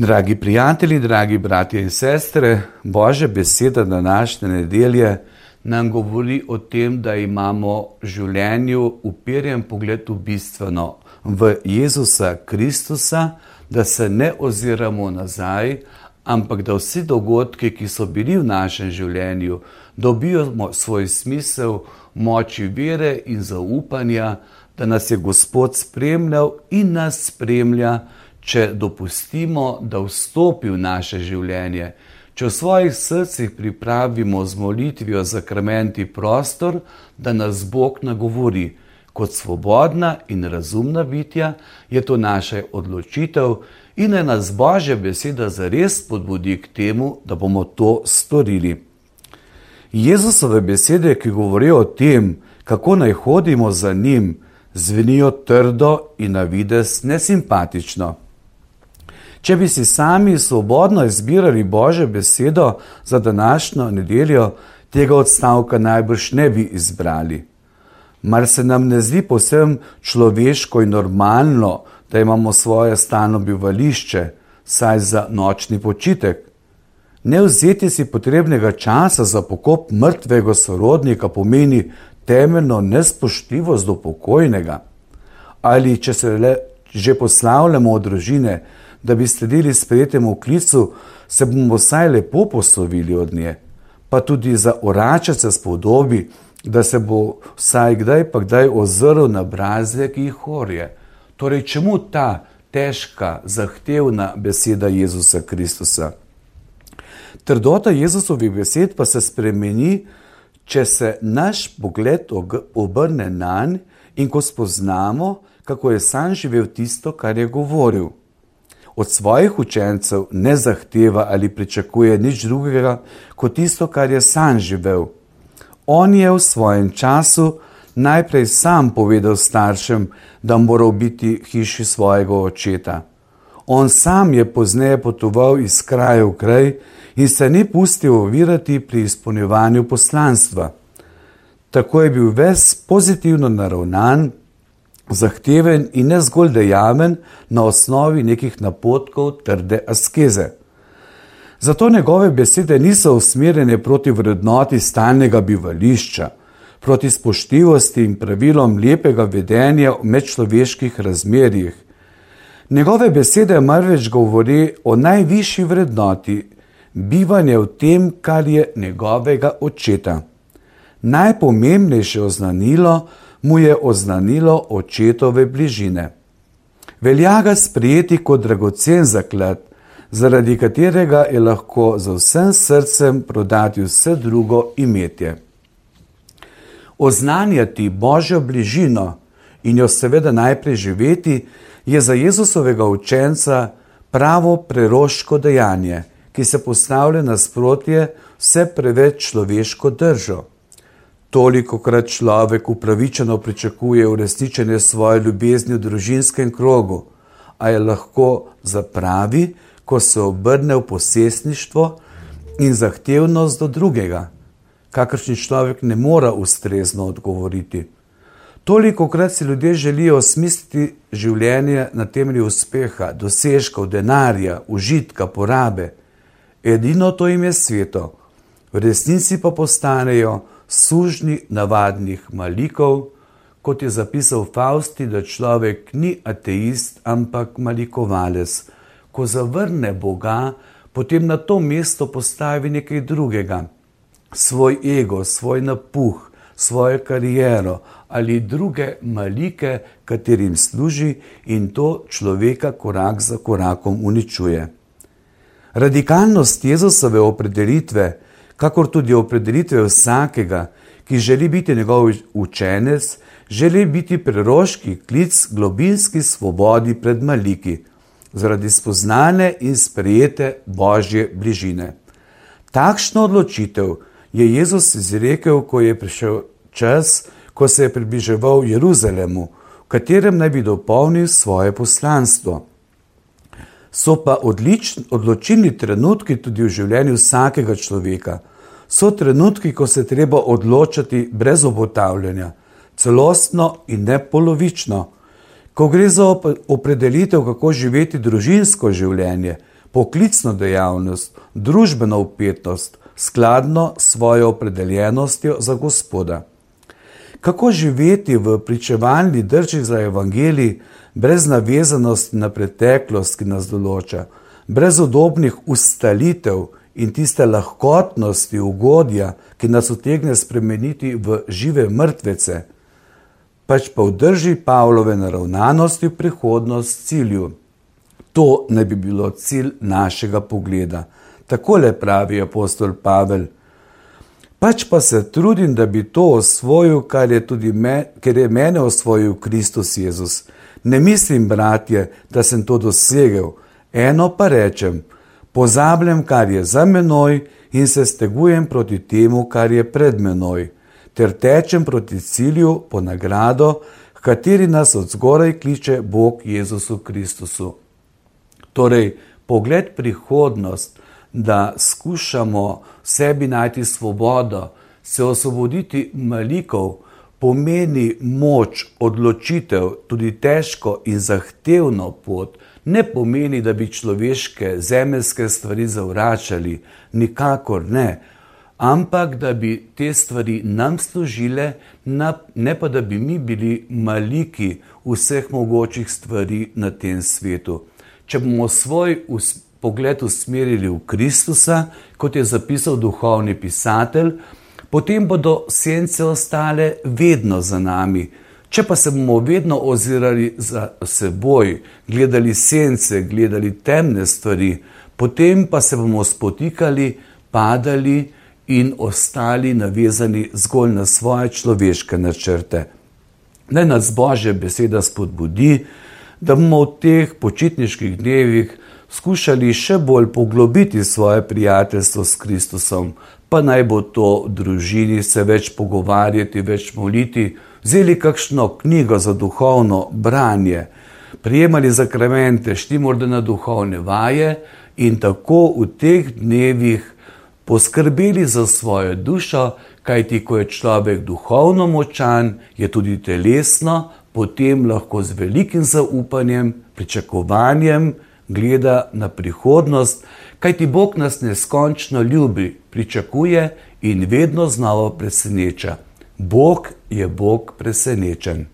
Dragi prijatelji, dragi bratje in sestre, Božja beseda današnje nedelje nam govori o tem, da imamo v življenju uperjen pogled v bistveno, v Jezusa Kristusa, da se ne oziramo nazaj, ampak da vsi dogodki, ki so bili v našem življenju, dobijo svoj smisel v moči vere in zaupanja, da nas je Gospod spremljal in nas spremlja, če dopustimo, da vstopi v naše življenje, če v svojih srcih pripravimo z molitvijo zakramenti prostor, da nas Bog nagovori. Kot svobodna in razumna bitja je to naša odločitev in naj nas Božja beseda zares spodbudi k temu, da bomo to storili. Jezusove besede, ki govorijo o tem, kako naj hodimo za njim, zvenijo trdo in na videz nesimpatično. Če bi si sami svobodno izbirali Božjo besedo za današnjo nedeljo, tega odstavka najbrž ne bi izbrali. Mar se nam ne zdi povsem človeško in normalno, da imamo svoje stalno bivališče, saj za nočni počitek? Ne vzeti si potrebnega časa za pokop mrtvega sorodnika pomeni temeljno nespoštljivost do pokojnega. Ali če se le že poslavljamo od družine, da bi sledili sprejetemu klicu, se bomo vsaj lepo poslovili od nje, pa tudi za oračaca spodobi, da se bo vsaj kdaj pa kdaj ozrl na brazde, ki jih orje. Torej, čemu ta težka, zahtevna beseda Jezusa Kristusa? Trdota Jezusovih besed pa se spremeni, če se naš pogled obrne nanj in ko spoznamo, kako je sam živel tisto, kar je govoril. Od svojih učencev ne zahteva ali pričakuje nič drugega, kot tisto, kar je sam živel. On je v svojem času najprej sam povedal staršem, da moral biti v hiši svojega očeta. On sam je pozneje potoval iz kraja v kraj in se ni pustil ovirati pri izpolnjevanju poslanstva. Tako je bil ves pozitivno naravnan, zahteven in ne zgolj dejaven na osnovi nekih napotkov trde askeze. Zato njegove besede niso usmerjene proti vrednoti stalnega bivališča, proti spoštljivosti in pravilom lepega vedenja v medčloveških razmerjih. Njegove besede marveč govori o najvišji vrednoti, bivanje v tem, kar je njegovega očeta. Najpomembnejše oznanilo mu je oznanilo očetove bližine. Velja ga sprejeti kot dragocen zaklad, zaradi katerega je lahko z vsem srcem prodati vse drugo imetje. Oznanjati Božjo bližino in jo seveda najprej živeti je za Jezusovega učenca pravo preroško dejanje, ki se postavlja nasprotje vse preveč človeško držo. Tolikokrat človek upravičeno pričakuje uresničenje svoje ljubezni v družinskem krogu, a je lahko zapravi, ko se obrne v posestništvo in zahtevnost do drugega, kakršni človek ne mora ustrezno odgovoriti. Tolikokrat si ljudje želijo osmisliti življenje na temelju uspeha, dosežkov, denarja, užitka, porabe. Edino to jim je sveto, v resnici pa postanejo sužnji navadnih malikov, kot je zapisal Fausti, da človek ni ateist, ampak malikovalec. Ko zavrne Boga, potem na to mesto postavi nekaj drugega. Svoj ego, svoj napuh, svojo kariero ali druge malike, katerim služi, in to človeka korak za korakom uničuje. Radikalnost Jezusove opredelitve, kakor tudi opredelitve vsakega, ki želi biti njegov učenec, želi biti preroški klic globinski svobodi pred maliki, zaradi spoznane in sprejete Božje bližine. Takšno odločitev je Jezus izrekel, ko je prišel čas, ko se je približeval Jeruzalemu, v katerem naj bi dopolnil svoje poslanstvo. So pa odločilni trenutki tudi v življenju vsakega človeka. So trenutki, ko se treba odločati brez obotavljanja, celostno in ne polovično. Ko gre za opredelitev, kako živeti družinsko življenje, poklicno dejavnost, družbeno vpetost, skladno s svojo opredeljenostjo za Gospoda. Kako živeti v pričevalni drži za evangelij brez navezanosti na preteklost, ki nas določa, brez udobnih ustalitev in tiste lahkotnosti, ugodja, ki nas utegne spremeniti v žive mrtvece, pač pa v drži Pavlove naravnanosti v prihodnost cilju. To ne bi bilo cilj našega pogleda. Takole pravi apostol Pavel. Pač pa se trudim, da bi to osvojil, ker je mene osvojil Kristus Jezus. Ne mislim, bratje, da sem to dosegel. Eno pa rečem, pozabljam, kar je za menoj in se stegujem proti temu, kar je pred menoj, ter tečem proti cilju po nagrado, h kateri nas od zgoraj kliče Bog Jezusu Kristusu. Torej, pogled prihodnost, da skušamo sebi najti svobodo, se osvoboditi malikov, pomeni moč, odločitev, tudi težko in zahtevno pot, ne pomeni, da bi človeške, zemeljske stvari zavračali, nikakor ne, ampak da bi te stvari nam služile, ne pa da bi mi bili maliki vseh mogočih stvari na tem svetu. Če bomo svoj pogled usmerili v Kristusa, kot je zapisal duhovni pisatelj, potem bodo sence ostale vedno za nami. Če pa se bomo vedno ozirali za seboj, gledali sence, gledali temne stvari, potem pa se bomo spotikali, padali in ostali navezani zgolj na svoje človeške načrte. Naj nas Božja beseda spodbudi, da bomo v teh počitniških dnevih skušali še bolj poglobiti svoje prijateljstvo s Kristusom, pa naj bo to v družini se več pogovarjati, več moliti, vzeli kakšno knjigo za duhovno branje, prijemali zakramente, šli morda na duhovne vaje in tako v teh dnevih poskrbeli za svojo dušo, kajti ko je človek duhovno močan, je tudi telesno, potem lahko z velikim zaupanjem, pričakovanjem gleda na prihodnost, kajti Bog nas neskončno ljubi, pričakuje in vedno znova preseneča. Bog je Bog presenečen.